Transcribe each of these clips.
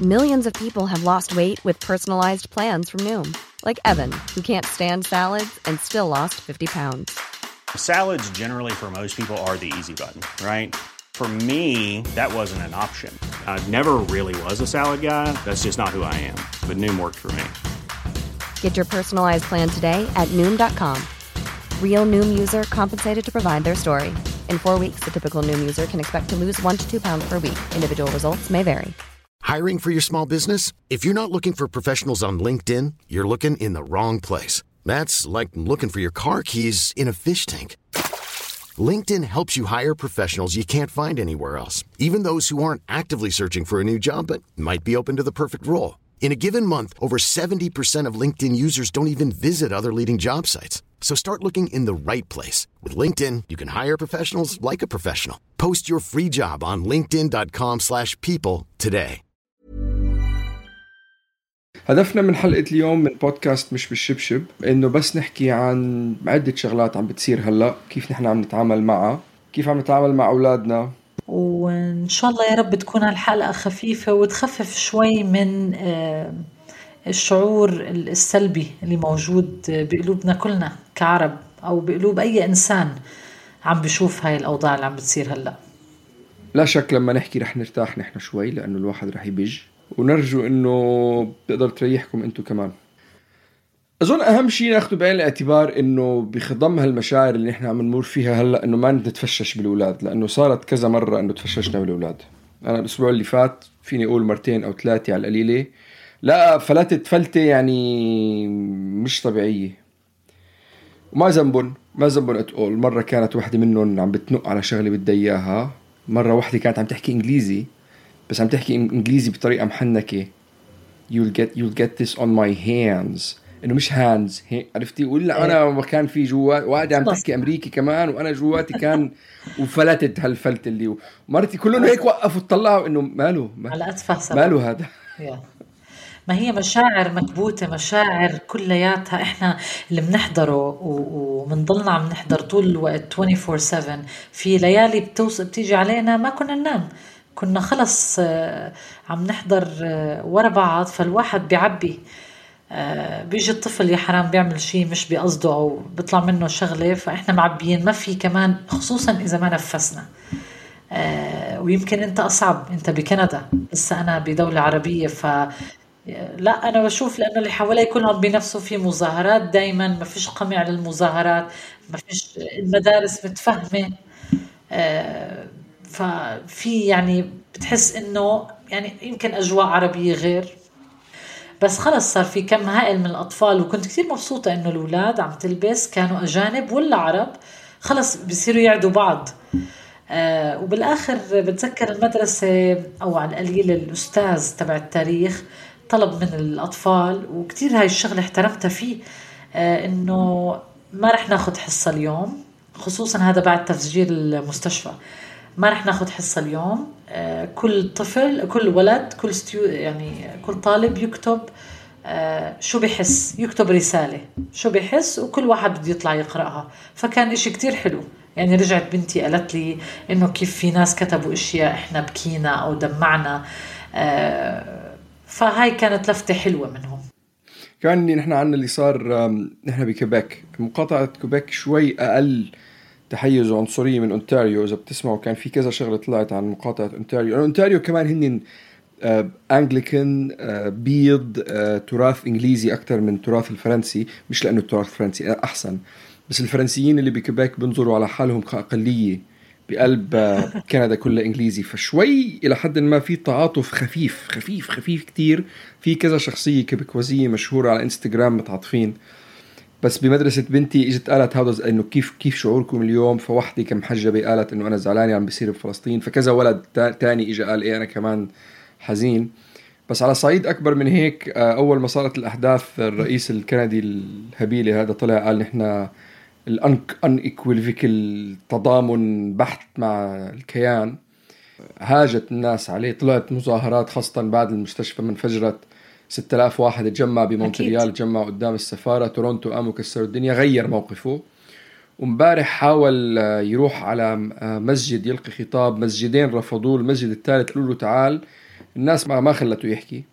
Millions of people have lost weight with personalized plans from Noom. Like Evan, who can't stand salads and still lost 50 pounds. Salads generally for most people are the easy button, right? For me, that wasn't an option. I never really was a salad guy. That's just not who I am. But Noom worked for me. Get your personalized plan today at Noom.com. Real Noom user compensated to provide their story. In 4 weeks, the typical Noom user can expect to lose 1 to 2 pounds per week. Individual results may vary. Hiring for your small business? If you're not looking for professionals on LinkedIn, you're looking in the wrong place. That's like looking for your car keys in a fish tank. LinkedIn helps you hire professionals you can't find anywhere else, even those who aren't actively searching for a new job but might be open to the perfect role. In a given month, over 70% of LinkedIn users don't even visit other leading job sites. So start looking in the right place. With LinkedIn, you can hire professionals like a professional. Post your free job on linkedin.com/people today. هدفنا من حلقة اليوم من بودكاست مش بالشبشب إنه بس نحكي عن عدة شغلات عم بتصير هلأ، كيف نحن عم نتعامل معها، كيف عم نتعامل مع أولادنا. وإن شاء الله يا رب تكون هالحلقة خفيفة وتخفف شوي من الشعور السلبي اللي موجود بقلوبنا كلنا كعرب أو بقلوب أي إنسان عم بشوف هاي الأوضاع اللي عم بتصير هلأ. لا شك لما نحكي رح نرتاح نحن شوي لأنه الواحد رح يبج، ونرجو إنه بتقدر تريحكم أنتو كمان. أظن أهم شيء ناخده بعين الاعتبار إنه بخضم هالمشاعر اللي نحن عم نمر فيها هلأ إنه ما نتفشش بالأولاد، لأنه صارت كذا مرة إنه تفششنا بالأولاد. أنا الأسبوع اللي فات فيني أقول 2 أو 3 على القليلة لا فلتت فلتة يعني مش طبيعية، وما ذنبن أتقول. مرة كانت واحدة منهم عم بتنق على شغلة بدي إياها، مرة واحدة كانت عم تحكي إنجليزي بس عم تحكي إنجليزي بطريقة محنكة. You'll get this on my hands، إنه مش hands عرفتي؟ ولا أنا كان في جوا واحدة عم تحكي أمريكي كمان وأنا جواتي كان وفلتت هالفلت اللي مرتي كلهم هيك وقفوا تطلعوا إنه ماله هذا. ما هي مشاعر مكبوتة، مشاعر كلياتها إحنا اللي بنحضره ومنضلنا عم نحضر طول الوقت 24/7. في ليالي بتيجي علينا ما كنا ننام، كنا خلص عم نحضر ورا بعض، فالواحد بيعبي. بيجي الطفل يا حرام بيعمل شيء مش بيقصده أو بيطلع منه شغلة، فإحنا معبيين ما في كمان، خصوصا إذا ما نفسنا. ويمكن أنت أصعب، أنت بكندا بس أنا بدولة عربية، لا أنا بشوف لأنه اللي حوالي كلهم بنفسه في مظاهرات دايما، ما فيش قمع للمظاهرات، ما فيش المدارس متفهمة. ففي يعني بتحس إنه يعني يمكن أجواء عربية غير، بس خلص صار في كم هائل من الأطفال. وكنت كتير مبسوطة إنه الأولاد عم تلبس كانوا أجانب ولا عرب، خلص بيصيروا يعدوا بعض. وبالآخر بتذكر المدرسة أو على القليل الأستاذ تبع التاريخ طلب من الأطفال، وكتير هاي الشغلة احترمتها فيه، إنه ما رح ناخد حصة اليوم، خصوصا هذا بعد تفجير المستشفى. ما رح ناخد حصة اليوم، كل طفل كل ولد يعني كل طالب يكتب شو بيحس، يكتب رسالة شو بيحس، وكل واحد بده يطلع يقرأها. فكان إشي كتير حلو. يعني رجعت بنتي قالت لي إنه كيف في ناس كتبوا إشياء إحنا بكينا أو دمعنا، فهاي كانت لفتة حلوة منهم. كان نحن عنا اللي صار، نحن بكيبك، مقاطعة كيبك شوي أقل تحيز وعنصرية من أونتاريو. إذا بتسمعوا كان في كذا شغلة طلعت عن مقاطعة أونتاريو. أونتاريو كمان هن أنجليكان، بيض، تراث إنجليزي أكتر من تراث الفرنسي، مش لأنه التراث الفرنسي أحسن، بس الفرنسيين اللي بكيبك بنظروا على حالهم كأقلية بقلب كندا كلها إنجليزي. فشوي إلى حد ما في تعاطف خفيف كتير. في كذا شخصية كيبكوازية مشهورة على إنستغرام متعاطفين. بس بمدرسة بنتي إجت قالت هذا إنه كيف شعوركم اليوم، فواحدة كمحجبة قالت إنه أنا زعلانة عم بيصير بفلسطين، فكذا ولد تاني إجا قال إيه أنا كمان حزين. بس على صعيد أكبر من هيك، أول ما صارت الأحداث الرئيس الكندي الهبيلي هذا طلع قال نحن unequivocal تضامن بحت مع الكيان. هاجت الناس عليه، طلعت مظاهرات خاصة بعد المستشفى منفجرت، 6000 واحد تجمع بمونتريال، تجمع قدام السفارة. تورونتو قاموا كسروا الدنيا، غير موقفه. ومبارح حاول يروح على مسجد يلقي خطاب، مسجدين رفضوه، المسجد الثالث قالوا له تعال الناس ما خلته يحكي،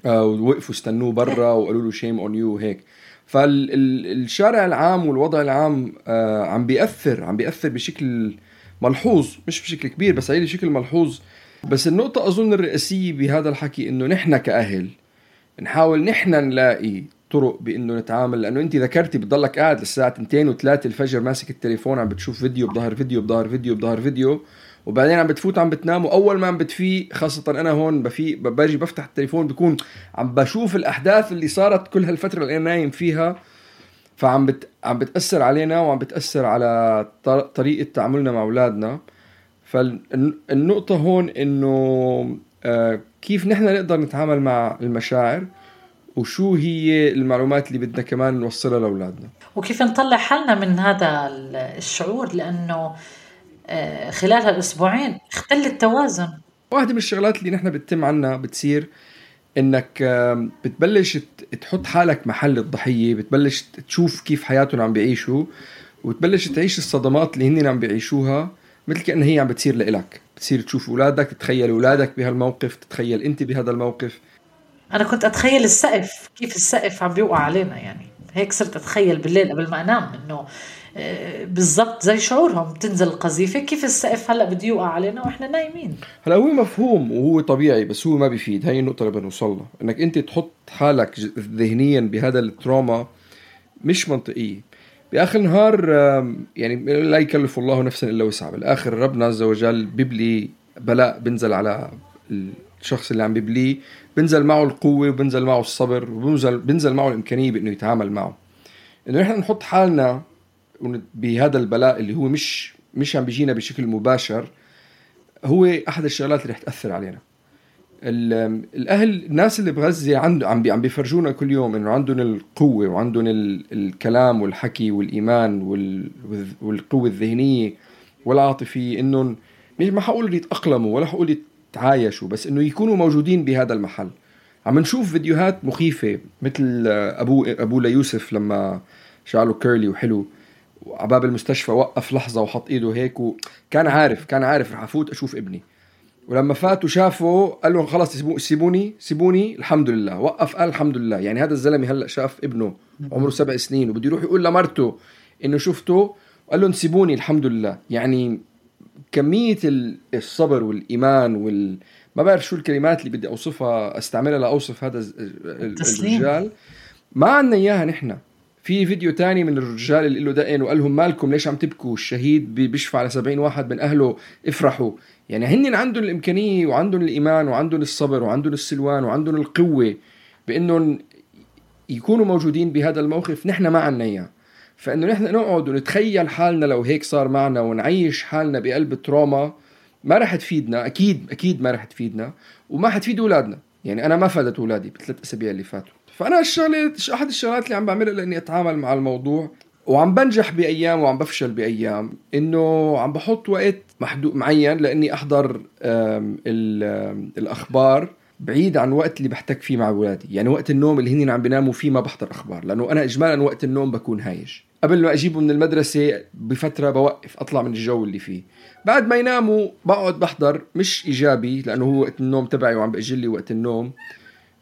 ووقفوا استنوه برا وقالوا له shame on you وهيك. فالشارع العام والوضع العام عم بيأثر بشكل ملحوظ، مش بشكل كبير بس عليه بشكل ملحوظ. بس النقطة أظن الرئيسية بهذا الحكي إنه نحن كأهل نحاول نحن نلاقي طرق بإنه نتعامل. لأنه أنت ذكرتي بتضلك قاعد للساعة 2 و3 الفجر ماسك التليفون عم بتشوف فيديو بظهر فيديو بظهر فيديو بظهر فيديو، وبعدين عم بتفوت عم بتنام، وأول ما عم بتفيق خاصة أنا هون باجي بفتح التليفون بكون عم بشوف الأحداث اللي صارت كل هالفترة اللي أنا نايم فيها. فعم بتأثر علينا وعم بتأثر على طريقة تعاملنا مع أولادنا. فالنقطة هون إنه كيف نحن نقدر نتعامل مع المشاعر، وشو هي المعلومات اللي بدنا كمان نوصلها لأولادنا، وكيف نطلع حالنا من هذا الشعور. لأنه خلال هالأسبوعين اختل التوازن. واحدة من الشغلات اللي نحن بتتم عنا بتصير إنك بتبلش تحط حالك محل الضحية، بتبلش تشوف كيف حياتهم عم بيعيشوا، وتبلش تعيش الصدمات اللي هن عم بيعيشوها مثل كأن هي عم بتصير لإلك. بتصير تشوف أولادك، تتخيل أولادك بهالموقف، تتخيل أنت بهذا الموقف. أنا كنت أتخيل السقف، كيف السقف عم بيوقع علينا، يعني هيك صرت أتخيل بالليل قبل ما أنام إنه بالضبط زي شعورهم تنزل القذيفة، كيف السقف هلأ بده يوقع علينا وإحنا نايمين. هلا هو مفهوم وهو طبيعي، بس هو ما بيفيد. هاي النقطة اللي بنوصلها، إنك أنت تحط حالك ذهنيا بهذا التروما مش منطقية. بآخر النهار يعني لا يكلف الله نفسا إلا وسعها. بالآخر ربنا عز وجل بيبلي بلاء، بنزل على الشخص اللي عم بيبليه، بنزل معه القوة وبنزل معه الصبر وبنزل معه الإمكانية بأنه يتعامل معه. إنه نحن نحط حالنا بهذا البلاء اللي هو مش عم بيجينا بشكل مباشر، هو أحد الشغلات اللي رح تأثر علينا. الأهل، الناس اللي بغزة عم بيفرجونا كل يوم إنه عندهم القوة وعندهم الكلام والحكي والإيمان والقوة الذهنية والعاطفية، إنه ما حقول يتأقلموا ولا حقول يتعايشوا، بس إنه يكونوا موجودين بهذا المحل. عم نشوف فيديوهات مخيفة مثل أبو ليوسف لما شعله كيرلي وحلو وعباب المستشفى، وقف لحظة وحط إيده هيك، وكان عارف رح أفوت أشوف ابني. ولما فات وشافه قال له خلاص سيبوني الحمد لله. وقف قال الحمد لله. يعني هذا الزلمة هلأ شاف ابنه عمره 7 سنين وبده يروح يقول لمرته إنه شفته، قال له سيبوني الحمد لله. يعني كمية الصبر والإيمان ما بعرف شو الكلمات اللي بدي أوصفها استعملها لأوصف هذا الرجال. ما عنا إياها نحن. في فيديو تاني من الرجال اللي له دقن وقال لهم مالكم ليش عم تبكوا، الشهيد بيشفع على 70 واحد من أهله، افرحوا. يعني هن عندهم الإمكانية وعندهم الإيمان وعندهم الصبر وعندهم السلوان وعندهم القوة بأنهم يكونوا موجودين بهذا الموقف. نحن ما عنا إياه. فإنه نحن نقعد ونتخيل حالنا لو هيك صار معنا ونعيش حالنا بقلب التروما ما رح تفيدنا. أكيد ما رح تفيدنا، وما حتفيد أولادنا. يعني أنا ما فادت أولادي ب3 أسابيع اللي فاتوا. فأنا أحد الشغلات اللي عم بعملها لأني أتعامل مع الموضوع، وعم بنجح بأيام وعم بفشل بأيام، إنه عم بحط وقت محدود معين لأني أحضر الأخبار بعيد عن وقت اللي بحتك فيه مع أولادي. يعني وقت النوم اللي هنين عم بيناموا فيه ما بحضر أخبار، لأنه أنا إجمالا وقت النوم بكون هايج. قبل ما أجيبه من المدرسة بفترة بوقف أطلع من الجو اللي فيه. بعد ما يناموا بقعد بحضر، مش إيجابي لأنه هو وقت النوم تبعي وعم بأجلي وقت النوم.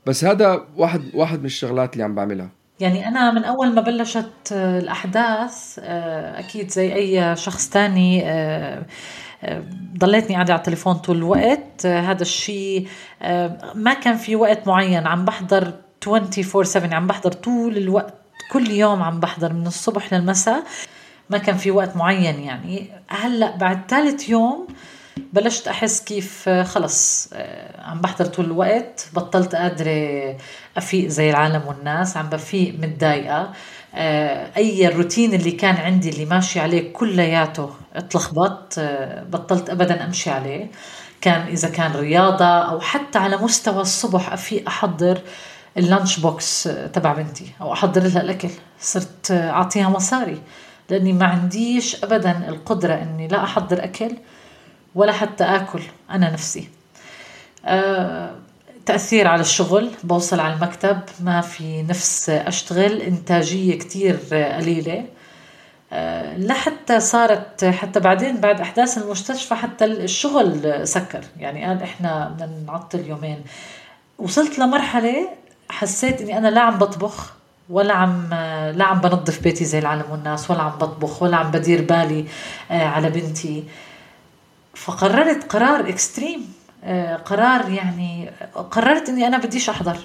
بس هذا واحد من الشغلات اللي عم بعملها. يعني أنا من أول ما بلشت الأحداث أكيد زي أي شخص تاني ضليتني قاعدة على التليفون طول الوقت. هذا الشيء ما كان في وقت معين، عم بحضر 24/7، عم بحضر طول الوقت، كل يوم عم بحضر من الصبح للمساء، ما كان في وقت معين. يعني هلأ بعد 3 يوم بلشت أحس كيف خلص عم بحضر طول الوقت، بطلت قادرة أفيق زي العالم والناس، عم بفيق متضايقة. أي الروتين اللي كان عندي اللي ماشي عليه كلياته اتلخبط، بطلت أبدا أمشي عليه. إذا كان رياضة أو حتى على مستوى الصبح أفيق أحضر اللانش بوكس تبع بنتي أو أحضر لها الأكل، صرت أعطيها مصاري لأني ما عنديش أبدا القدرة أني لا أحضر أكل ولا حتى أكل أنا نفسي. تأثير على الشغل، بوصل على المكتب ما في نفس أشتغل، إنتاجية كتير قليلة. لحتى صارت حتى بعدين بعد أحداث المستشفى حتى الشغل سكر، يعني قال إحنا بدنا نعطل يومين. وصلت لمرحلة حسيت إني أنا لا عم بطبخ ولا عم بنظف بيتي زي العالم والناس، ولا عم بطبخ ولا عم بدير بالي على بنتي. فقررت قرار اكستريم، قرار يعني قررت إني أنا بديش أحضر.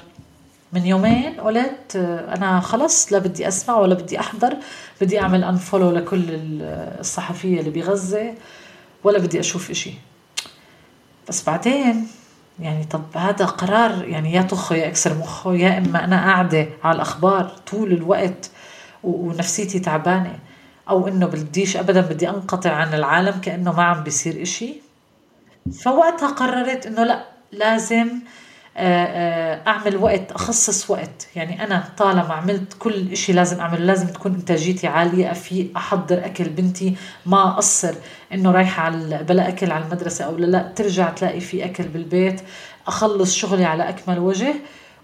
من يومين قلت أنا خلص لا بدي أسمع ولا بدي أحضر، بدي أعمل أنفولو لكل الصحفية اللي بغزة، ولا بدي أشوف إشي. بس بعدين يعني طب هذا قرار يعني يا طخه يا أكسر مخه، يا إما أنا قاعدة على الأخبار طول الوقت ونفسيتي تعبانة، أو إنه بديش أبدا بدي أنقطع عن العالم كأنه ما عم بيصير إشي. فوقتها قررت إنه لا، لازم أعمل وقت، أخصص وقت. يعني أنا طالما عملت كل إشي لازم أعمل، لازم تكون إنتاجيتي عالية، أفيق أحضر أكل بنتي، ما أقصر إنه رايحة على بلا أكل على المدرسة أو لا ترجع تلاقي في أكل بالبيت، أخلص شغلي على أكمل وجه،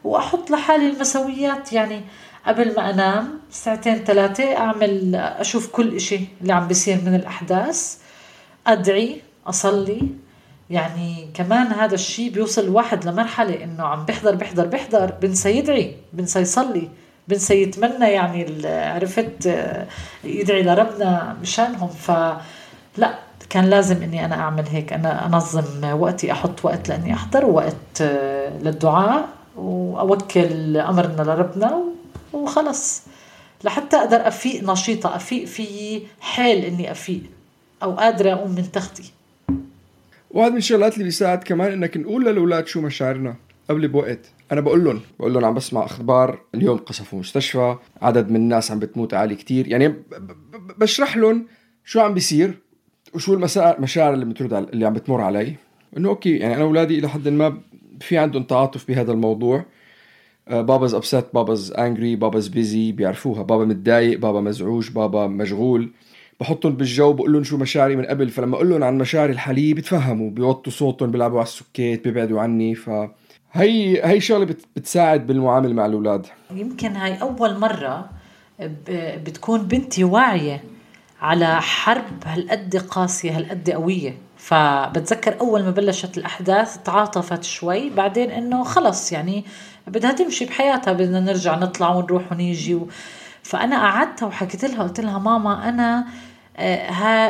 وأحط لحالي المسويات. يعني قبل ما أنام 2-3 أعمل أشوف كل إشي اللي عم بيصير من الأحداث، أدعي، أصلي. يعني كمان هذا الشيء بيوصل الواحد لمرحلة إنه عم بيحضر بنسى يدعي، بنسى يصلي، بنسى يتمنى، يعني عرفت يدعي لربنا مشانهم. فلا، كان لازم إني أنا أعمل هيك، أنا أنظم وقتي، أحط وقت لأني أحضر، وقت للدعاء، وأوكل أمرنا لربنا وخلص، لحتى أقدر أفيق نشيطة، أفيق في حال إني أفيق أو قادرة أقوم من تختي. وهذا من الشغلات اللي بيساعد كمان إنك نقول للأولاد شو مشاعرنا قبل بوقت. أنا بقول لهم عم بسمع أخبار اليوم قصفوا مستشفى، عدد من الناس عم بتموت عالي كتير، يعني بشرح لهم شو عم بيصير وشو المشاعر اللي عم بتمر علي. إنه أوكي، يعني أنا أولادي إلى حد ما في عندهم تعاطف بهذا الموضوع. بابا's upset، بابا's angry، بابا's busy، بيعرفوها، بابا متضايق، بابا مزعوج، بابا مشغول. بحطهم بالجو، بقول لهم شو مشاعري من قبل، فلما اقول لهم عن مشاعري الحاليه بتفهموا، بيوطوا صوتهم، بيلعبوا على السكيت، بيبعدوا عني. فهي شغله بتساعد بالمعامله مع الاولاد. يمكن هاي اول مره بتكون بنتي واعيه على حرب هالقد قاسيه هالقد قويه. فبتذكر اول ما بلشت الاحداث تعاطفت شوي، بعدين انه خلص يعني بدها تمشي بحياتها، بدنا نرجع نطلع ونروح ونيجي. فأنا قعدتها وحكيت لها، قلت لها ماما أنا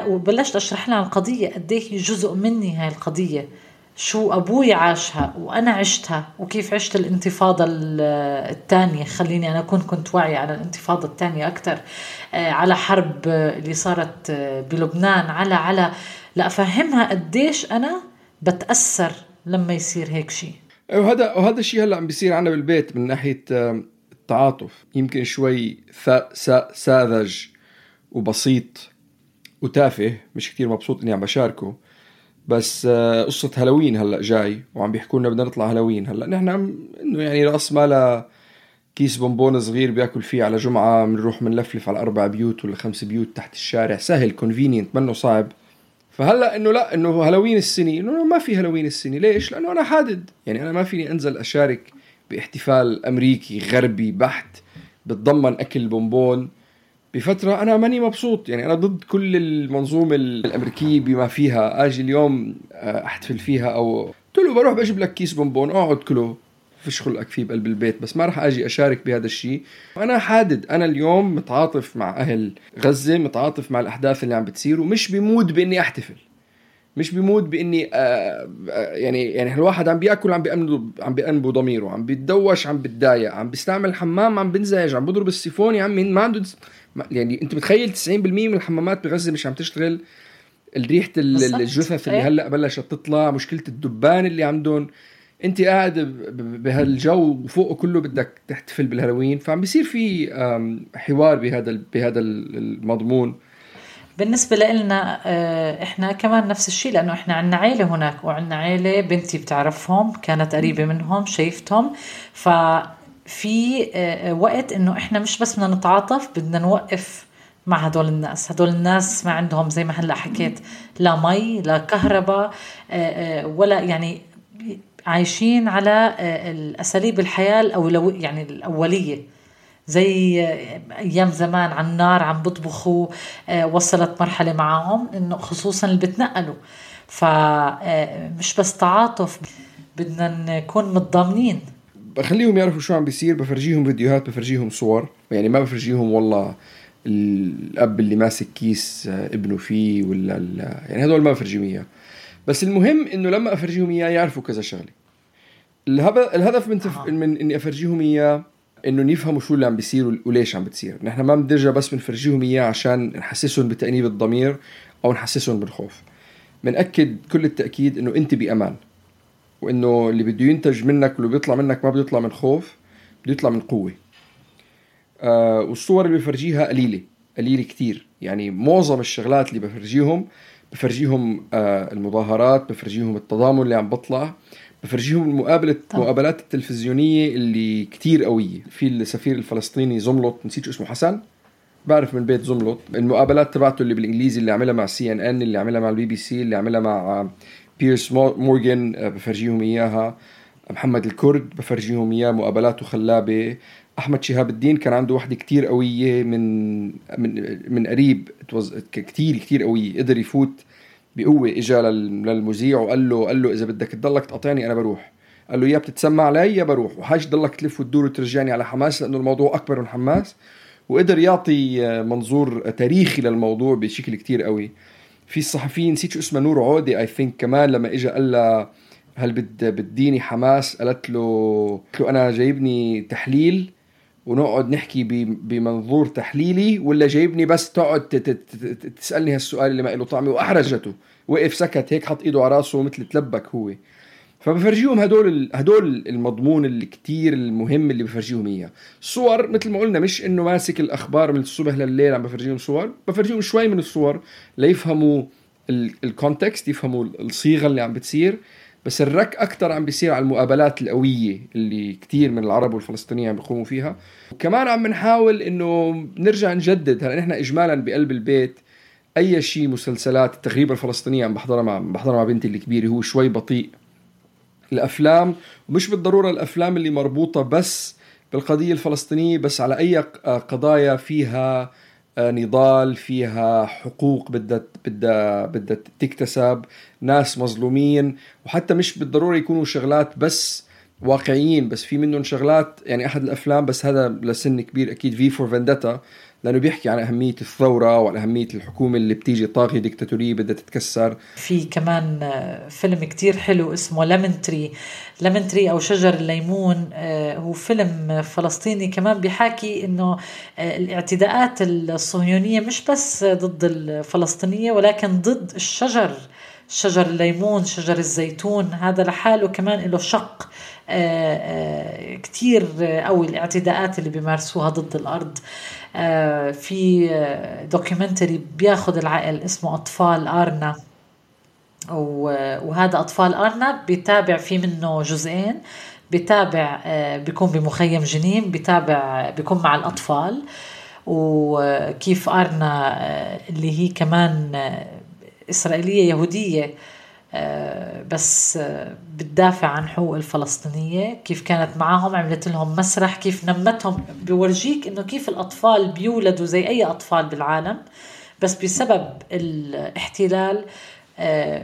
وبلشت أشرح لها القضية قديه جزء مني هاي القضية، شو أبوي عاشها وأنا عشتها، وكيف عشت الانتفاضة الثانية. خليني أنا كنت واعية على الانتفاضة الثانية أكتر، على حرب اللي صارت بلبنان، على لا أفهمها قديش أنا بتأثر لما يصير هيك شيء. وهذا الشيء هلأ عم بيصير عنا بالبيت من ناحية التعاطف، يمكن شوي ساذج وبسيط وتافه، مش كتير مبسوط اني عم بشاركه. بس قصة هالوين هلأ جاي وعم بيحكوا لنا بدنا نطلع هالوين. هلأ نحن انه يعني رأس مالا كيس بونبون صغير بياكل فيه على جمعة، بنروح منلفلف على 4 بيوت ولا 5 بيوت تحت الشارع، سهل كونفينينت منه صعب. فهلأ انه لا، انه هالوين السنة، انه ما في هالوين السنة. ليش؟ لانه انا حادد، يعني انا ما فيني انزل اشارك باحتفال امريكي غربي بحت بتضمن اكل بونبون بفترة أنا ماني مبسوط. يعني أنا ضد كل المنظومة الأمريكية بما فيها. أجي اليوم أحتفل فيها، أو قلت له بروح بجيب لك كيس بونبون أقعد كله فيش خلقك فيه بقلب البيت، بس ما رح أجي أشارك بهذا الشيء. وأنا حادد، أنا اليوم متعاطف مع أهل غزة، متعاطف مع الأحداث اللي عم بتصير، ومش بمود بإني أحتفل، مش بمود بإني يعني الواحد عم بيأكل، عم بيأنبو ضميره، عم بيتدوش، عم بتضايق، عم بيستعمل الحمام، عم بنزعج، عم بضرب السيفون. يا عمي ما عنده، يعني انت متخيل 90% من الحمامات بغزة مش عم تشتغل؟ الريحة الجثث اللي هلأ بلشت تطلع، مشكلة الدبان اللي عندهم. انت قاعد بهالجو وفوقه كله بدك تحتفل بالهالوين. فعم بيصير في حوار بهذا المضمون. بالنسبة لنا احنا كمان نفس الشيء، لانه احنا عنا عيلة هناك، وعنا عيلة بنتي بتعرفهم، كانت قريبة منهم، شايفتهم. ففي وقت انه احنا مش بس بدنا نتعاطف، بدنا نوقف مع هدول الناس ما عندهم زي ما هلا حكيت لا مي لا كهرباء ولا، يعني عايشين على الأساليب الحياة يعني الأولية. زي أيام زمان على النار عم بطبخوا. وصلت مرحلة معهم إنه خصوصا اللي بتنقلوا، فمش بس تعاطف، بدنا نكون متضامنين. بخليهم يعرفوا شو عم بيصير، بفرجيهم فيديوهات، بفرجيهم صور، يعني ما بفرجيهم والله الأب اللي ماسك كيس ابنه فيه ولا يعني هذول ما بفرجيهم إياه. بس المهم إنه لما أفرجيهم إياه يعرفوا كذا شغلة. الهدف من إني أفرجيهم إياه إنه يفهموا شو اللي عم بيصير وليش عم بتصير. نحن ما بندرجة بس بنفرجيهم إياه عشان نحسسهم بتأنيب الضمير أو نحسسهم بالخوف. منأكد كل التأكيد إنه أنت بأمان، وإنه اللي بده ينتج منك واللي بيطلع منك ما بيطلع من خوف، بده يطلع من قوة. والصور اللي بفرجيها قليلة كتير. يعني معظم الشغلات اللي بفرجيهم المظاهرات، بفرجيهم التضامن اللي عم بطلع، بفرجيهم المقابلات التلفزيونية اللي كتير قوية. في السفير الفلسطيني زملط، نسيت شو اسمه، حسن، بعرف من بيت زملط، المقابلات تبعته اللي بالإنجليزي اللي عملها مع CNN، اللي عملها مع BBC، اللي عملها مع بيرس مورغان، بفرجيهم إياها. محمد الكرد بفرجيهم إياه، مقابلاته خلابة. أحمد شهاب الدين كان عنده واحدة كتير قوية من قريب، كتير قوية، قدر يفوت بقوة. إجا للمذيع وقال له إذا بدك تضلك تقاطعني أنا بروح. قال له يا بتتسمع علي يا بروح، وحاج ضلك تلف وتدور وترجعني على حماس، لأنه الموضوع أكبر من حماس. وقدر يعطي منظور تاريخي للموضوع بشكل كتير قوي. في الصحفيين، نسيت شو اسمه، نور عودي I think، كمان لما إجا قال له هل بديني حماس، قالت له أنا جايبني تحليل ونقعد نحكي بمنظور تحليلي، ولا جايبني بس تقعد تسألني هالسؤال اللي ما له طعمه. وأحرجته، وقف سكت هيك، حط إيده على راسه مثل تلبك هو. فبفرجيهم هدول المضمون اللي كتير المهم اللي بفرجيهم إياه. الصور مثل ما قلنا مش إنه ماسك الأخبار من الصبح لليل عم بفرجيهم صور، بفرجيهم شوي من الصور ليفهموا الكونتكست، يفهموا الصيغة اللي عم بتصير. بس الرك أكتر عم بيصير على المقابلات القوية اللي كتير من العرب والفلسطينيين عم بيقوموا فيها. وكمان عم نحاول إنه نرجع نجدد. هلا نحن إجمالا بقلب البيت أي شيء مسلسلات التغريبة الفلسطينية عم بحضرها مع بنتي الكبيرة، هو شوي بطيء. الأفلام، ومش بالضرورة الأفلام اللي مربوطة بس بالقضية الفلسطينية، بس على أي قضايا فيها نضال، فيها حقوق بدها تكتسب، ناس مظلومين. وحتى مش بالضرورة يكونوا شغلات بس واقعيين، بس في منهم شغلات. يعني أحد الأفلام، بس هذا لسن كبير أكيد، في فور فندتا، لأنه بيحكي عن أهمية الثورة وعن أهمية الحكومة اللي بتيجي طاغية ديكتاتورية بدها تتكسر. في كمان فيلم كتير حلو اسمه لمنتري أو شجر الليمون. هو فيلم فلسطيني كمان بيحكي إنه الاعتداءات الصهيونية مش بس ضد الفلسطينية، ولكن ضد شجر الليمون، شجر الزيتون. هذا لحاله كمان له شق كتير قوي، الاعتداءات اللي بيمارسوها ضد الأرض. في دوكيومنتري بياخد العقل اسمه أطفال آرنا، وهذا أطفال آرنا بيتابع فيه منه جزئين. بيتابع بيكون بمخيم جنين، بيكون مع الأطفال، وكيف آرنا اللي هي كمان إسرائيلية يهودية بس بتدافع عن حقوق الفلسطينية، كيف كانت معاهم، عملت لهم مسرح، كيف نمتهم. بيورجيك إنه كيف الأطفال بيولدوا زي أي أطفال بالعالم، بس بسبب الاحتلال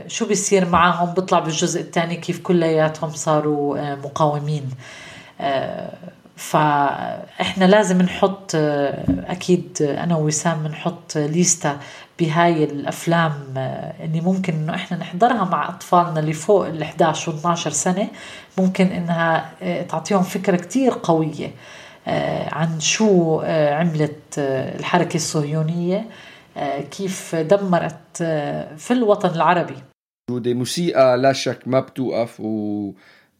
شو بيصير معاهم. بيطلع بالجزء الثاني كيف كلياتهم صاروا مقاومين. فإحنا لازم نحط أكيد أنا ووسام نحط ليستة بهاي الأفلام اللي ممكن إنه إحنا نحضرها مع أطفالنا اللي فوق 11 و 12 سنة. ممكن إنها تعطيهم فكرة كتير قوية عن شو عملت الحركة الصهيونية، كيف دمرت في الوطن العربي. موسيقى لا شك ما بتوقف،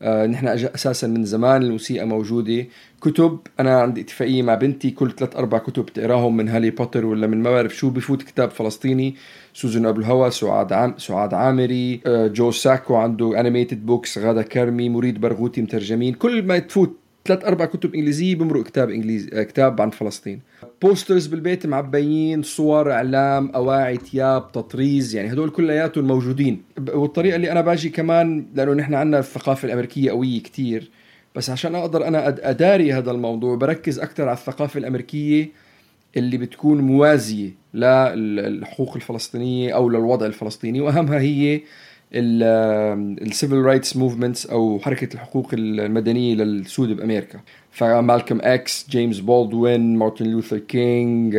نحن أساسا من زمان الموسيقى موجودة. كتب، أنا عندي اتفاقية مع بنتي كل 3-4 كتب تقراهم، من هاري بوتر ولا من ما بعرف شو، بفوت كتاب فلسطيني. سوزن أبو الهوى، سعاد عامري، جو ساكو عنده أنيميتد بوكس، غادة كرمي، مريد برغوتي مترجمين. كل ما تفوت 3-4 كتب إنجليزية بمرق كتاب عن فلسطين. بوسترز بالبيت معبيين، صور، إعلام، أواعي، تياب، تطريز، يعني هدول كلياتهم موجودين. والطريقة اللي أنا باجي كمان، لأنه نحن عنا الثقافة الأمريكية قوية كتير، بس عشان أقدر أنا أداري هذا الموضوع بركز أكتر على الثقافة الأمريكية اللي بتكون موازية للحقوق الفلسطينية أو للوضع الفلسطيني، وأهمها هي السيفل رايتس موفمنتس أو حركة الحقوق المدنية للسود بأمريكا. فمالكوم اكس، جيمس بولدوين، مارتن لوثر كينج،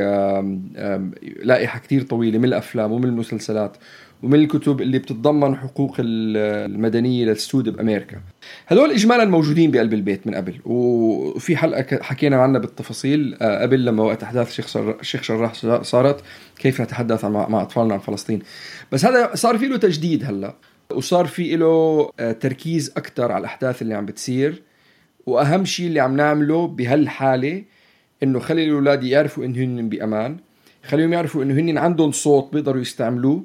لائحة كتير طويلة من الأفلام ومن المسلسلات ومن الكتب اللي بتتضمن حقوق المدنية للسود بأمريكا. هذول إجمالا موجودين بقلب البيت من قبل، وفي حلقة حكينا عنها بالتفاصيل قبل لما وقت أحداث الشيخ شراح صارت كيف نتحدث مع أطفالنا عن فلسطين. بس هذا صار فيه له تجديد هلأ، وصار فيه له تركيز أكتر على الأحداث اللي عم بتصير. وأهم شيء اللي عم نعمله بهالحالة إنه خلي الأولاد يعرفوا إنه هن بأمان، خليهم يعرفوا إنه هن عندهم صوت بيقدروا يستعملوه،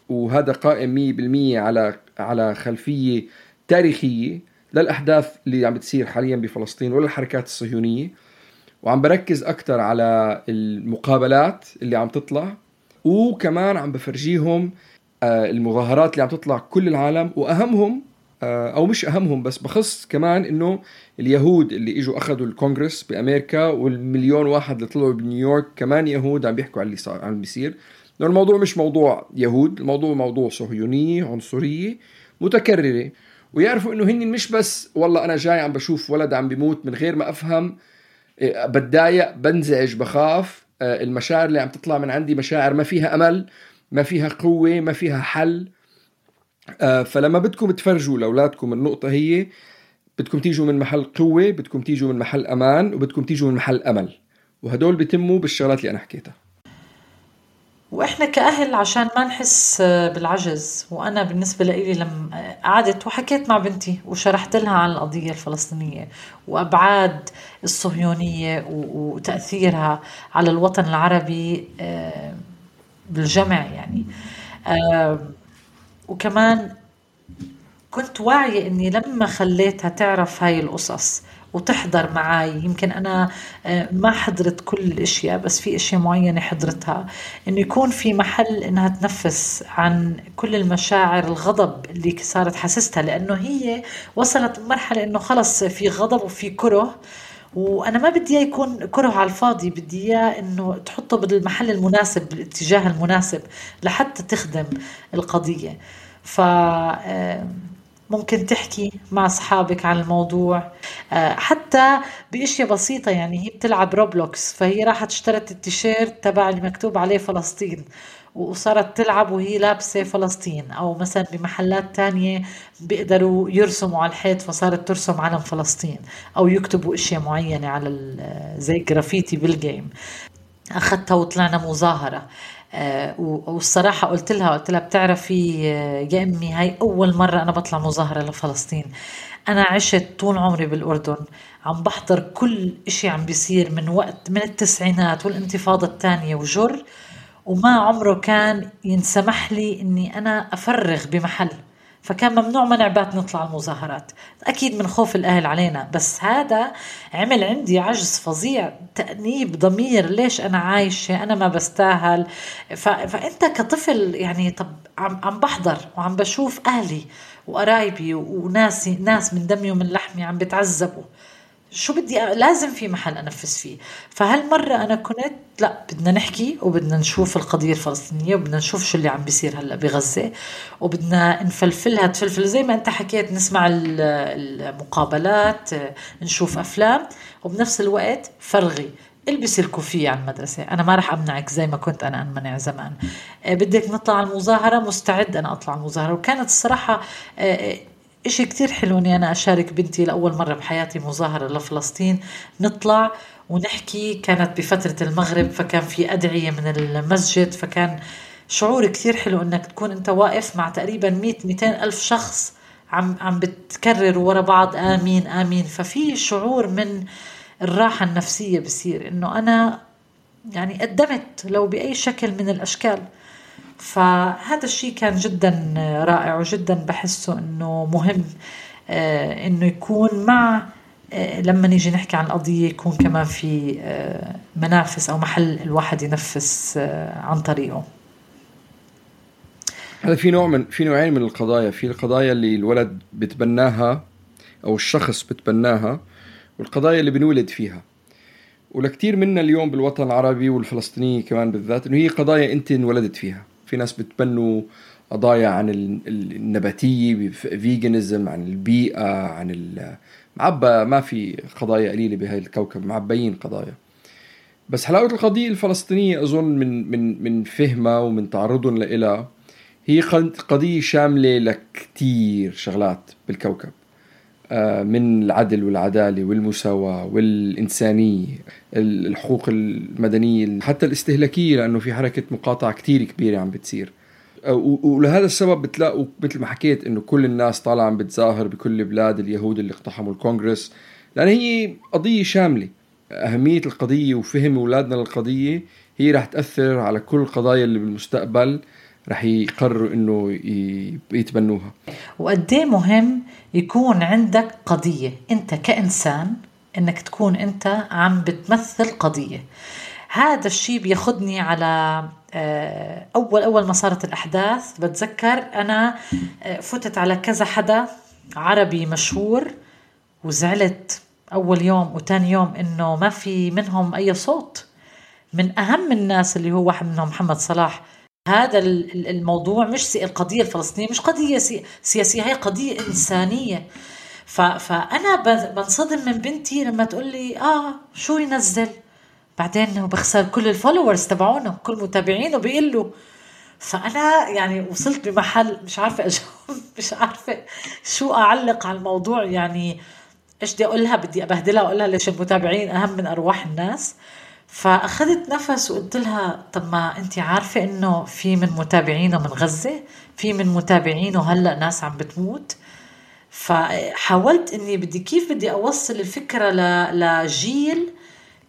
وهذا قائم 100% على خلفية تاريخية للأحداث اللي عم بتصير حاليا بفلسطين وللحركات الصهيونية. وعم بركز أكتر على المقابلات اللي عم تطلع، وكمان عم بفرجيهم المظاهرات اللي عم تطلع كل العالم، وأهمهم أو مش أهمهم بس بخص كمان إنه اليهود اللي إجوا أخذوا الكونغرس بأمريكا والمليون واحد اللي طلعوا بنيويورك كمان يهود عم بيحكوا على اللي صار عم بيصير. لأن الموضوع مش موضوع يهود، الموضوع موضوع صهيونية عنصرية متكررة. ويعرفوا إنه هن مش بس والله أنا جاي عم بشوف ولد عم بيموت من غير ما أفهم، بتضايق، بنزعج، بخاف. المشاعر اللي عم تطلع من عندي مشاعر ما فيها أمل، ما فيها قوة، ما فيها حل. فلما بدكم تفرجوا لأولادكم النقطة هي بدكم تيجوا من محل قوة، بدكم تيجوا من محل أمان، وبدكم تيجوا من محل أمل، وهدول بيتموا بالشغلات اللي أنا حكيتها. وإحنا كأهل عشان ما نحس بالعجز. وأنا بالنسبة لي لما قعدت وحكيت مع بنتي وشرحت لها عن القضية الفلسطينية وأبعاد الصهيونية وتأثيرها على الوطن العربي بالجمع يعني، وكمان كنت واعية إني لما خليتها تعرف هاي القصص وتحضر معاي، يمكن أنا ما حضرت كل الأشياء بس في أشياء معينة حضرتها، إنه يكون في محل إنها تنفس عن كل المشاعر الغضب اللي صارت حسستها، لأنه هي وصلت مرحلة إنه خلص في غضب وفي كره، وأنا ما بدي يكون كره على الفاضي، بدي إياه إنه تحطه بالمحل المناسب بالاتجاه المناسب لحتى تخدم القضية. ممكن تحكي مع أصحابك عن الموضوع حتى بأشياء بسيطة. يعني هي بتلعب روبلوكس، فهي راحت اشترت التيشيرت تبع اللي مكتوب عليه فلسطين وصارت تلعب وهي لابسة فلسطين. أو مثلا بمحلات تانية بيقدروا يرسموا على الحيط فصارت ترسم علم فلسطين، أو يكتبوا أشياء معينة على زي جرافيتي بالجيم. أخذتها وطلعنا مظاهرة، والصراحة قلت لها بتعرفي يا أمي هاي أول مرة أنا بطلع مظاهرة لفلسطين. أنا عشت طول عمري بالأردن عم بحضر كل إشي عم بيصير من التسعينات والانتفاضة الثانية وجر، وما عمره كان ينسمح لي إني أنا أفرغ بمحل، فكان ممنوع منعبات نطلع المظاهرات، أكيد من خوف الأهل علينا. بس هذا عمل عندي عجز فظيع، تأنيب ضمير، ليش أنا عايشة، أنا ما بستاهل. فأنت كطفل يعني طب عم بحضر وعم بشوف أهلي وقرايبي وناس من دمي ومن لحمي عم بتعذبوا، شو بدي لازم في محل أنفس فيه. فهالمرة أنا كنت لا، بدنا نحكي وبدنا نشوف القضية الفلسطينية وبدنا نشوف شو اللي عم بيصير هلأ بغزة، وبدنا نفلفلها تفلفل زي ما أنت حكيت، نسمع المقابلات، نشوف أفلام، وبنفس الوقت فرغي، البسي الكوفية على المدرسة، أنا ما رح أمنعك زي ما كنت أنا أمنع زمان. بدك نطلع المظاهرة، مستعد أنا أطلع المظاهرة. وكانت الصراحة إشي كتير حلو إني أنا أشارك بنتي لأول مرة بحياتي مظاهرة لفلسطين، نطلع ونحكي. كانت بفترة المغرب فكان في أدعية من المسجد، فكان شعور كتير حلو إنك تكون أنت واقف مع تقريبا 100-200 ألف شخص عم بتكرر ورا بعض آمين آمين. ففي شعور من الراحة النفسية بصير إنه أنا يعني قدمت لو بأي شكل من الأشكال. فهذا الشيء كان جدا رائع، وجدا بحسه إنه مهم إنه يكون مع لما نيجي نحكي عن القضية يكون كمان في منافس أو محل الواحد ينفس عن طريقه. هذا في نوعين من القضايا. في القضايا اللي الولد بتبناها أو الشخص بتبناها والقضايا اللي بنولد فيها. ولكتير منا اليوم بالوطن العربي والفلسطيني كمان بالذات إنه هي قضايا أنت انولدت فيها. في ناس بتبنوا قضايا عن النباتية، فيجنزم، عن البيئة، عن معبى. ما في قضايا قليلة بهاي الكوكب، معبيين قضايا. بس حلاوة القضية الفلسطينية أظن من فهمها ومن تعرضهم لإلها، هي قضية شاملة لكتير شغلات بالكوكب، من العدل والعدالة والمساواة والإنسانية، الحقوق المدنية، حتى الاستهلاكية، لأنه في حركة مقاطعة كتير كبيرة عم بتصير. ولهذا السبب بتلاقوا مثل ما حكيت إنه كل الناس طالعة عم بتظاهر بكل بلاد اليهود اللي اقتحموا الكونغرس، لأن هي قضية شاملة. أهمية القضية وفهم أولادنا للقضية هي رح تأثر على كل القضايا اللي بالمستقبل رح يقرروا إنه يتبنوها. وقديه مهم يكون عندك قضية أنت كإنسان، إنك تكون أنت عم بتمثل قضية. هذا الشيء بياخدني على أول ما صارت الأحداث. بتذكر أنا فتت على كذا حدا عربي مشهور وزعلت أول يوم وتاني يوم إنه ما في منهم أي صوت. من أهم الناس اللي هو واحد منهم محمد صلاح. هذا الموضوع مش القضية الفلسطينية مش قضية سياسية، هي قضية إنسانية. فأنا بنصدم من بنتي لما تقول لي شو ينزل، بعدين هو بخسر كل الفولورز تبعونه، كل متابعينه بيقلوا. فأنا يعني وصلت بمحل مش عارفة مش عارفة شو أعلق على الموضوع. يعني إيش بدي أقولها؟ بدي أبهدلها وأقولها ليش المتابعين أهم من أرواح الناس. فأخذت نفس وقلت لها طب ما أنتي عارفة إنه في من متابعينه من غزة، في من متابعينه هلأ ناس عم بتموت. فحاولت إني بدي أوصل الفكرة لجيل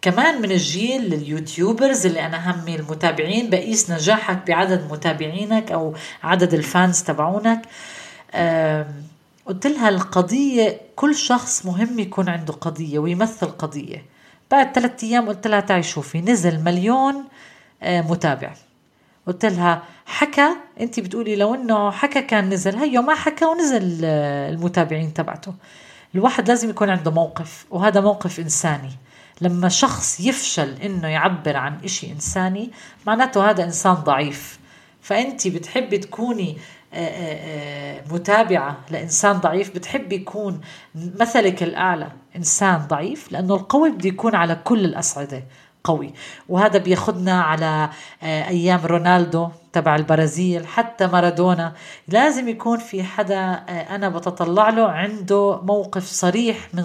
كمان من الجيل لليوتيوبرز اللي أنا همي المتابعين، بقيس نجاحك بعدد متابعينك أو عدد الفانز تبعونك. قلت لها القضية كل شخص مهم يكون عنده قضية ويمثل قضية. بعد 3 أيام قلت لها تعي شوفي نزل 1,000,000 متابع. قلت لها حكى، انتي بتقولي لو انه حكى كان نزل، هيو ما حكى ونزل المتابعين تبعته. الواحد لازم يكون عنده موقف، وهذا موقف إنساني. لما شخص يفشل انه يعبر عن اشي إنساني معناته هذا إنسان ضعيف. فأنتي بتحبي تكوني متابعة لإنسان ضعيف، بتحبي يكون مثلك الأعلى إنسان ضعيف، لأنه القوي بده يكون على كل الأصعدة قوي. وهذا بياخدنا على أيام رونالدو تبع البرازيل، حتى مارادونا. لازم يكون في حدا أنا بتطلع له عنده موقف صريح من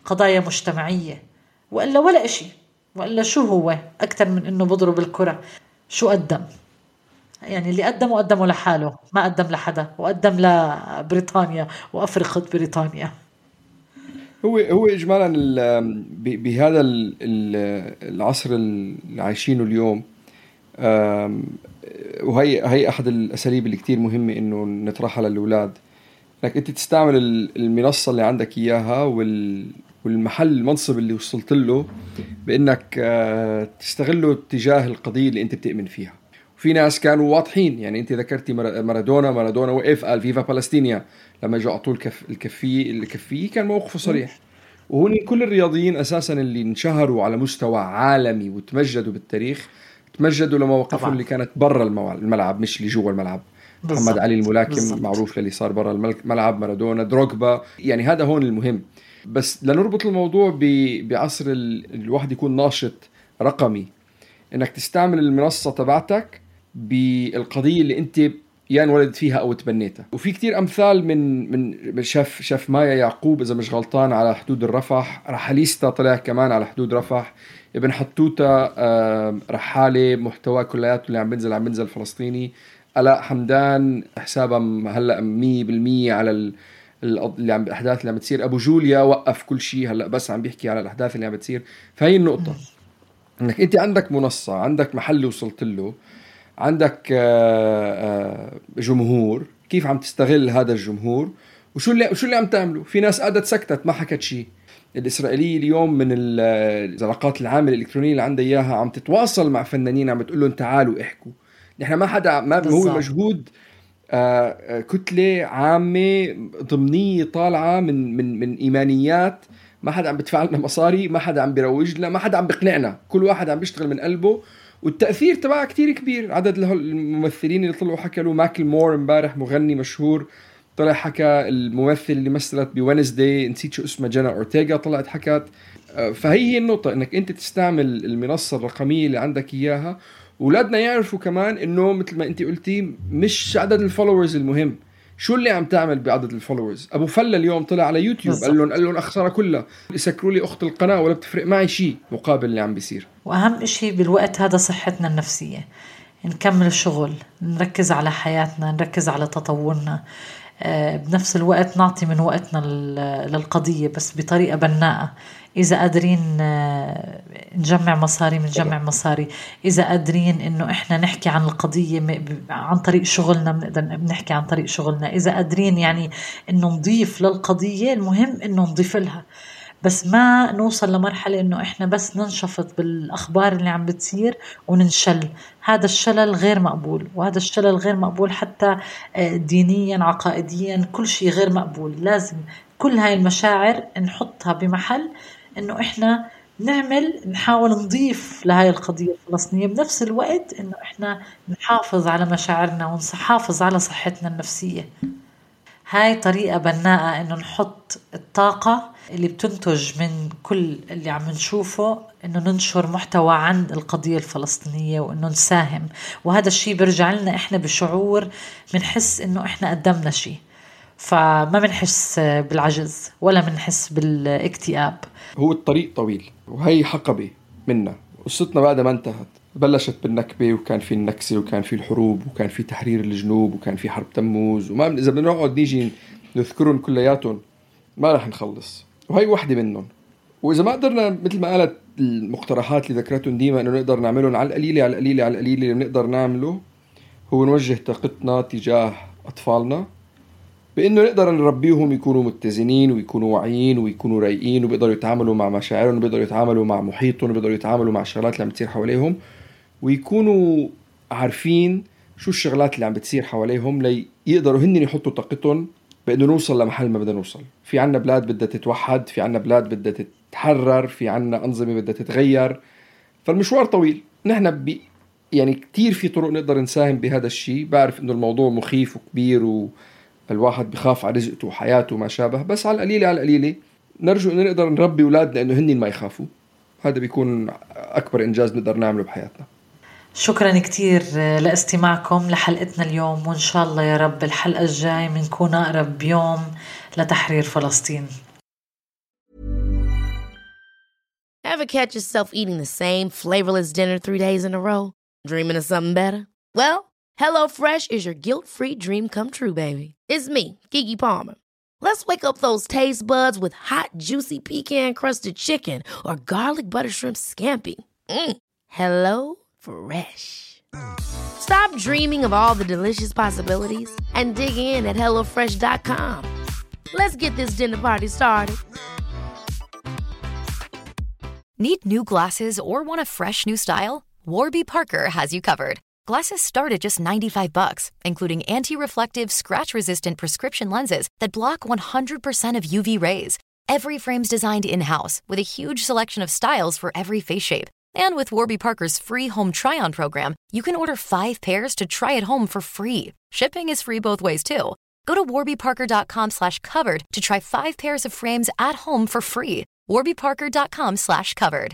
قضايا مجتمعية، وإلا ولا إشي. وإلا شو هو أكتر من إنه بضرب الكرة؟ شو قدم؟ يعني اللي قدمه لحاله، ما قدم لحدا، وقدم لبريطانيا وأفريقيا بريطانيا. هو إجمالا بهذا العصر اللي عايشينه اليوم، وهي أحد الأساليب اللي كتير مهمة إنه نطرحها للأولاد، إنك أنت تستعمل المنصة اللي عندك إياها والمحل المنصب اللي وصلت له بإنك تستغله تجاه القضية اللي أنت بتؤمن فيها. وفي ناس كانوا واضحين، يعني أنت ذكرتي مارادونا وقف قال فيفا فلسطينيا لما جاء طول الكفية كان موقفه صريح. وهون كل الرياضيين أساسا اللي انشهروا على مستوى عالمي وتمجدوا بالتاريخ تمجدوا لمواقفهم اللي كانت برا الملعب مش اللي جوا الملعب. محمد علي الملاكم معروف للي صار برا الملعب، مارادونا، دروغبا، يعني هذا هون المهم. بس لنربط الموضوع بعصر الواحد يكون ناشط رقمي، انك تستعمل المنصة تبعتك بالقضية اللي انت انولد فيها او تبنيتها. وفي كتير امثال من شاف مايا يعقوب اذا مش غلطان على حدود الرفح، رحاليستا طلع كمان على حدود رفح، ابن حتوتة رحالة محتوى كلياته اللي عم بنزل فلسطيني، ألاء حمدان حسابها هلا 100% على الأحداث اللي عم بتصير، أبو جوليا وقف كل شيء هلا بس عم بيحكي على الأحداث اللي عم بتصير. فهي النقطة، انك انت عندك منصة، عندك محل وصلت له، عندك جمهور، كيف عم تستغل هذا الجمهور وشو اللي عم تعمله. في ناس قعدت سكتت ما حكت شيء. الإسرائيلية اليوم من العلاقات العامة الإلكترونية اللي عندها إياها عم تتواصل مع فنانين، عم بتقول لهم تعالوا احكوا. نحن ما حدا ما هو مجهود كتلة عامة ضمنية طالعة من إيمانيات. ما حدا عم بدفع لنا مصاري، ما حدا عم بيروج لنا، ما حدا عم بقنعنا، كل واحد عم بيشتغل من قلبه. والتأثير تبعها كتير كبير. عدد الممثلين اللي طلعوا حكى له ماكل مور امبارح، مغني مشهور، طلع حكى. الممثل اللي مثلت بوينزداي نسيت شو اسمه، جانا أورتيغا، طلعت حكت. فهي النقطة، انك انت تستعمل المنصة الرقمية اللي عندك اياها. ولادنا يعرفوا كمان انه مثل ما انت قلتي مش عدد الفولورز المهم، شو اللي عم تعمل بعدد الفولورز. ابو فلة اليوم طلع على يوتيوب قال لهم اخسرها كلها، يسكروا لي اخت القناة ولا بتفرق معي شيء مقابل اللي عم بيصير. واهم اشي بالوقت هذا صحتنا النفسية، نكمل الشغل، نركز على حياتنا، نركز على تطورنا، بنفس الوقت نعطي من وقتنا للقضية بس بطريقة بناءة. إذا قادرين نجمع مصاري منجمع مصاري، إذا قادرين إنه إحنا نحكي عن القضية عن طريق شغلنا بنقدر نحكي عن طريق شغلنا. إذا قادرين يعني إنه نضيف للقضية، المهم إنه نضيف لها، بس ما نوصل لمرحلة إنه إحنا بس ننشفط بالأخبار اللي عم بتصير وننشل. هذا الشلل غير مقبول، وهذا الشلل غير مقبول حتى دينيا عقائديا، كل شيء غير مقبول. لازم كل هاي المشاعر نحطها بمحل إنه إحنا نحاول نضيف لهاي القضية الفلسطينية، بنفس الوقت إنه إحنا نحافظ على مشاعرنا ونحافظ على صحتنا النفسية. هاي طريقة بناءة إنه نحط الطاقة اللي بتنتج من كل اللي عم نشوفه، إنه ننشر محتوى عن القضية الفلسطينية وإنه نساهم. وهذا الشيء برجع لنا إحنا بشعور، منحس إنه إحنا قدمنا شيء، فما منحس بالعجز ولا منحس بالاكتئاب. هو الطريق طويل وهي حقبة منا، قصتنا بعد ما انتهت. بلشت بالنكبة، وكان في النكسة، وكان في الحروب، وكان في تحرير الجنوب، وكان في حرب تموز، وما إذا بدنا نقعد نيجي نذكرهم كلياتهم ما رح نخلص، وهي واحدة منهم. وإذا ما قدرنا مثل ما قالت المقترحات اللي ذكرتهم ديما إنه نقدر نعملهم على القليلة على القليلة على القليلة، اللي بنقدر نعمله هو نوجه طاقتنا تجاه أطفالنا، بإنه نقدر نربيهم يكونوا متزنين ويكونوا واعيين ويكونوا رايقين، وبيقدروا يتعاملوا مع مشاعرهم، وبيقدروا يتعاملوا مع محيطهم، وبيقدروا يتعاملوا مع الشغلات اللي عم بتصير حواليهم، ويكونوا عارفين شو الشغلات اللي عم بتصير حواليهم، ليقدروا هن يحطوا طاقتهم بإنه نوصل لمحل ما بدنا نوصل. في عنا بلاد بدها تتوحد، في عنا بلاد بدها تتحرر، في عنا أنظمة بدها تتغير. فالمشوار طويل. نحن يعني كتير في طرق نقدر نساهم بهذا الشيء. بعرف إنه الموضوع مخيف وكبير والواحد بخاف على رزقته وحياته وما شابه، بس على القليلة على القليلة نرجو إنه نقدر نربي أولادنا إنه هن ما يخافوا. هذا بيكون أكبر إنجاز نقدر نعمله بحياتنا. شكرا كتير لاستماعكم لحلقتنا اليوم، وإن شاء الله يا رب الحلقة الجاي منكون أقرب بيوم لتحرير فلسطين. Ever catch yourself eating the same flavorless dinner 3 days in a row? Dreaming of something better? Well, HelloFresh is your guilt-free dream come true, baby. It's me, Keke Palmer. Let's wake up those taste buds with hot, juicy pecan-crusted chicken or garlic butter shrimp scampi. Hello Fresh. Stop dreaming of all the delicious possibilities and dig in at HelloFresh.com. Let's get this dinner party started. Need new glasses or want a fresh new style? Warby Parker has you covered. Glasses start at just $95, including anti-reflective, scratch-resistant prescription lenses that block 100% of UV rays. Every frame's designed in-house with a huge selection of styles for every face shape. And with Warby Parker's free home try-on program, you can order 5 pairs to try at home for free. Shipping is free both ways, too. Go to warbyparker.com/covered to try 5 pairs of frames at home for free. warbyparker.com/covered.